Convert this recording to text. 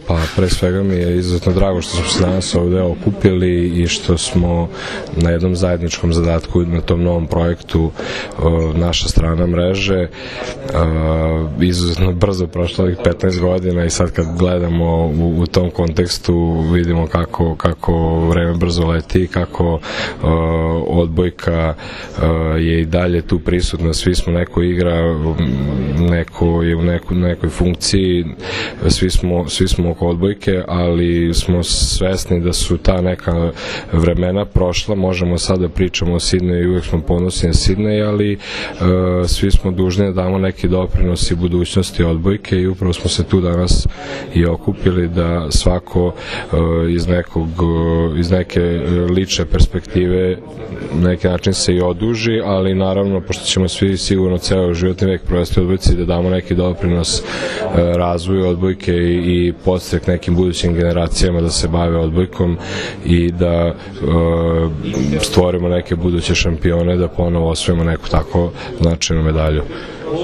Pa pre svega mi je izuzetno drago što smo se danas ovde okupili i što smo na jednom zajedničkom zadatku na tom novom projektu naša strana mreže. Izuzetno brzo prošlo ovih 15 godina i sad kad gledamo u tom kontekstu vidimo kako vreme brzo leti, kako odbojka je i dalje tu prisutna, svi smo, neko igra, neko je u nekoj funkciji, svi smo oko odbojke, ali smo svesni da su ta neka vremena prošla, možemo sad da pričamo o Sidneju i uvek smo ponosni na Sidnej, ali svi smo dužni da damo neki doprinos i budućnosti odbojke i upravo smo se tu danas i okupili da svako iz neke lične perspektive na neki način se i oduži, ali naravno, pošto ćemo svi sigurno ceo životni vek provesti u odbojci, da damo neki doprinos razvoju odbojke i podstrek nekim budućim generacijama da se bave odbojkom i da stvorimo neke buduće šampione, da ponovo osvojimo neku tako značajnu medalju.